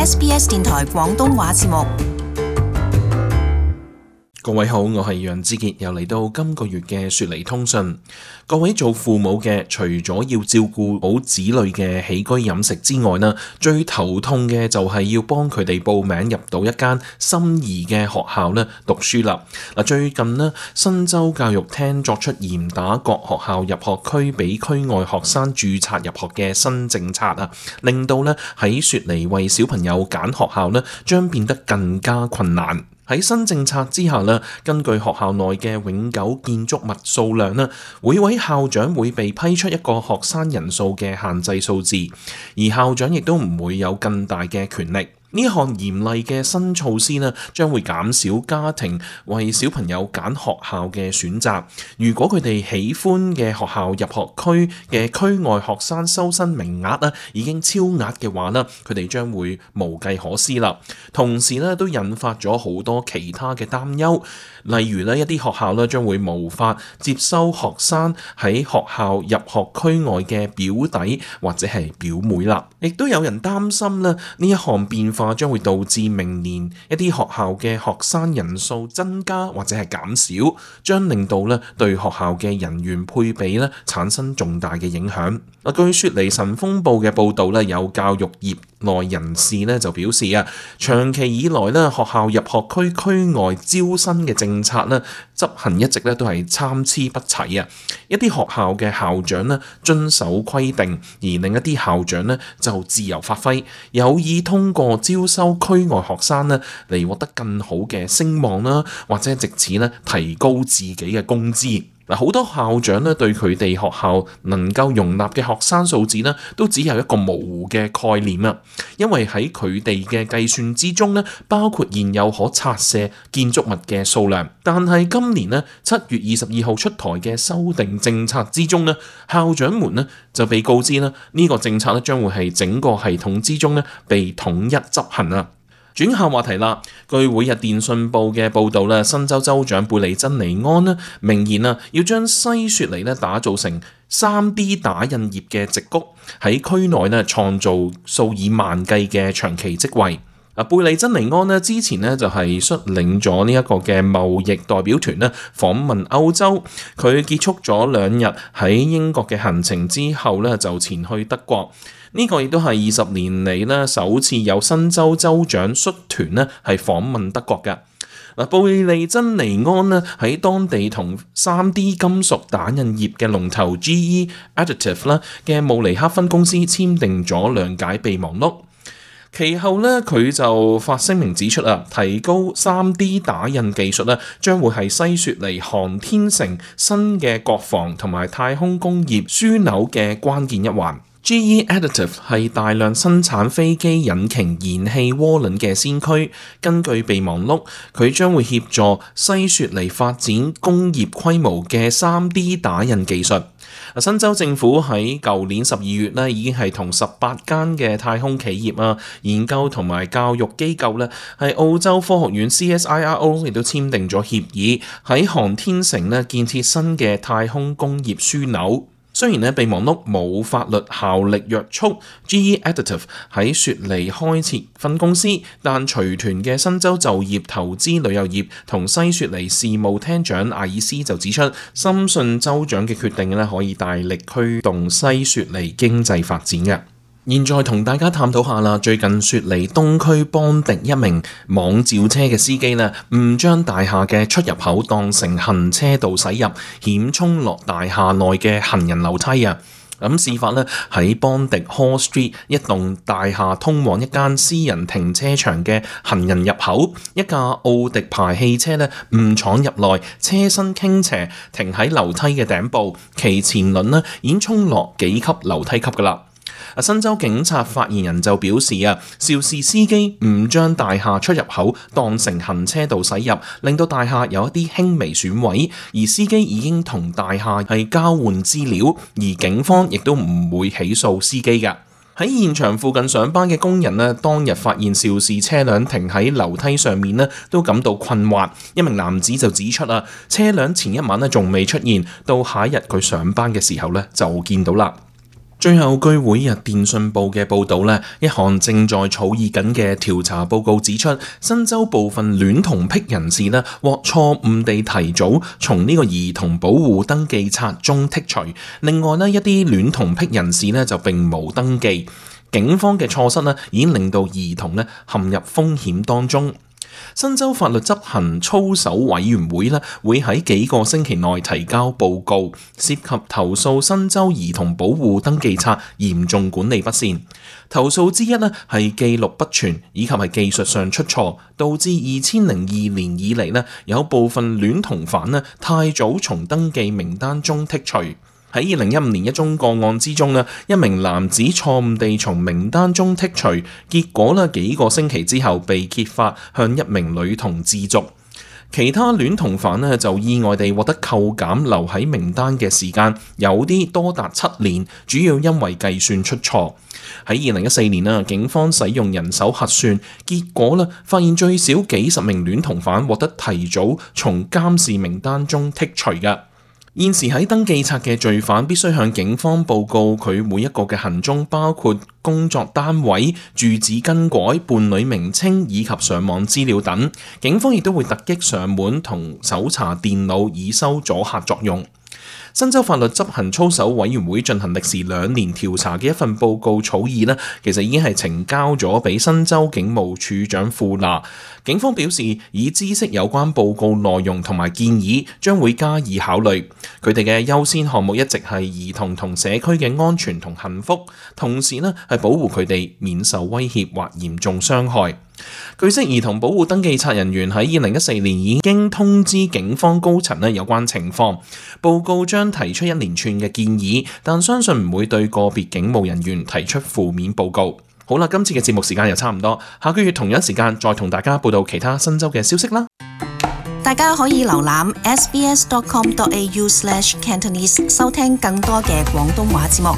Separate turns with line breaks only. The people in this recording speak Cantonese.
SBS 電台廣東話節目。
各位好，我係楊之傑，又嚟到今個月嘅雪梨通訊。各位做父母嘅，除咗要照顧好子女嘅起居飲食之外呢，最頭痛嘅就係要幫佢哋報名入到一間心儀嘅學校呢讀書啦。最近呢，新州教育廳作出嚴打各學校入學區俾區外學生註冊入學嘅新政策啊，令到呢喺雪梨為小朋友揀學校呢將變得更加困難。喺新政策之下呢，根據學校內嘅永久建築物數量呢，每位校長會被批出一個學生人數嘅限制數字，而校長亦都唔會有更大嘅權力。呢項嚴厲嘅新措施呢，將會減少家庭為小朋友揀學校嘅選擇。如果佢哋喜歡嘅學校入學區嘅區外學生收生名額呢已經超額嘅話呢，佢哋將會無計可施啦。同時呢，都引發咗好多其他嘅擔憂，例如呢，一啲學校呢將會無法接收學生喺學校入學區外嘅表弟或者係表妹啦。亦都有人擔心呢一項變化將會導致明年一啲學校嘅學生人數增加或者係減少，將令到咧對學校嘅人員配比咧產生重大嘅影響。據雪梨晨鋒報嘅報導咧，有教育業內人士咧就表示啊，長期以來咧學校入學區區外招生嘅政策咧執行一直咧都係參差不齊啊。一啲學校嘅校長咧遵守規定，而另一啲校長咧就自由發揮，有意通過招收區外學生咧嚟獲得更好嘅聲望啦，或者藉此咧提高自己嘅工資。好多校長咧對佢哋學校能夠容納嘅學生數字咧，都只有一個模糊嘅概念啊。因為喺佢哋嘅計算之中咧，包括現有可拆卸建築物嘅數量。但係今年咧7月22號出台嘅修訂政策之中咧，校長們咧就被告知咧呢個政策咧將會係整個系統之中咧被統一執行啊。轉下話題啦，據每日電訊報嘅報導咧，新州州長貝利珍尼安咧明言啊，要將西雪梨咧打造成 3D 打印業嘅矽谷，喺區內咧創造數以萬計嘅長期職位。貝利珍尼安咧之前咧就係率領咗呢一個嘅貿易代表團咧訪問歐洲，佢結束咗2日喺英國嘅行程之後咧就前去德國。呢個亦都係20年嚟咧首次有新州州長率團咧係訪問德國嘅。貝利珍尼安咧喺當地同 3D 金屬打印業嘅龍頭 GE Additive 啦嘅慕尼黑分公司簽訂咗諒解備忘錄。其後咧，佢就發聲明指出啊，提高 3D 打印技術咧，將會係西雪梨航天城新嘅國防同埋太空工業樞紐嘅關鍵一環。GE Additive 係大量生產飛機引擎燃氣渦輪嘅先驅。根據備忘錄，佢將會協助西雪梨發展工業規模嘅 3D 打印技術。新州政府喺舊年12月咧，已經係同18間嘅太空企業啊、研究同埋教育機構咧，係澳洲科學院 CSIRO 亦都簽訂咗協議，喺航天城咧建設新嘅太空工業樞紐。雖然咧備忘錄冇法律效力約束 GE Additive 喺雪梨開設分公司，但隨團嘅新州就業、投資、旅遊業同西雪梨事務廳長艾爾斯就指出，深信州長嘅決定咧可以大力驅動西雪梨經濟發展嘅。現在同大家探討下啦，最近雪梨東區邦迪一名網召車嘅司機呢，誤將大廈嘅出入口當成行車道駛入，險衝落大廈內嘅行人樓梯啊！事發呢喺邦迪 Hall Street 一棟大廈通往一間私人停車場嘅行人入口，一架奧迪牌汽車呢誤闖入內，車身傾斜停喺樓梯嘅頂部，其前輪呢已經衝落幾級樓梯級㗎喇。新州警察發言人就表示啊，肇事司機誤將大廈出入口當成行車道駛入，令到大廈有一啲輕微損毀，而司機已經同大廈係交換資料，而警方亦都唔會起訴司機㗎。喺現場附近上班嘅工人呢，當日發現肇事車輛停喺樓梯上面呢，都感到困惑。一名男子就指出啊，車輛前一晚呢仲未出現，到下一日佢上班嘅時候呢就見到啦。最後，據每日電訊報嘅報導呢，一項正在草擬緊嘅調查報告指出，新州部分戀童癖人士呢獲錯誤地提早從呢個兒童保護登記冊中剔除。另外呢，一啲戀童癖人士呢就並無登記。警方嘅錯失呢已經令到兒童呢陷入風險當中。新州法律執行操守委員會呢會喺幾個星期內提交報告，涉及投訴新州兒童保護登記冊嚴重管理不善。投訴之一呢係記錄不全以及係技術上出錯，導致2002年以嚟呢有部分戀童犯呢太早從登記名單中剔除。喺2015年一宗個案之中呢，一名男子錯誤地從名單中剔除，結果呢幾個星期之後被揭發向一名女童自瀆。其他戀童犯呢就意外地獲得扣減留喺名單嘅時間，有啲多達7年，主要因為計算出錯。喺2014年呢，警方使用人手核算，結果呢發現最少幾十名戀童犯獲得提早從監視名單中剔除嘅。現時喺登記冊嘅罪犯必須向警方報告佢每一個嘅行蹤，包括工作單位、住址更改、伴侶名稱以及上網資料等。警方亦都會突擊上門同搜查電腦，以收阻嚇作用。新州法律執行操守委員會進行歷時2年調查嘅一份報告草擬呢，其實已經係呈交咗俾新州警務處長庫納。警方表示，已知悉有關報告內容同埋建議，將會加以考慮。佢哋嘅優先項目一直係兒童同社區嘅安全同幸福，同時呢係保護佢哋免受威脅或嚴重傷害。據悉，兒童保護登記冊人員喺2014年已經通知警方高層有關情況。報告將提出一連串嘅建議，但相信唔會對個別警務人員提出負面報告。好啦，今次嘅節目時間又差唔多，下個月同樣時間再同大家報道其他新州嘅消息啦。
大家可以瀏覽 sbs.com.au/cantonese 收聽更多嘅廣東話節目。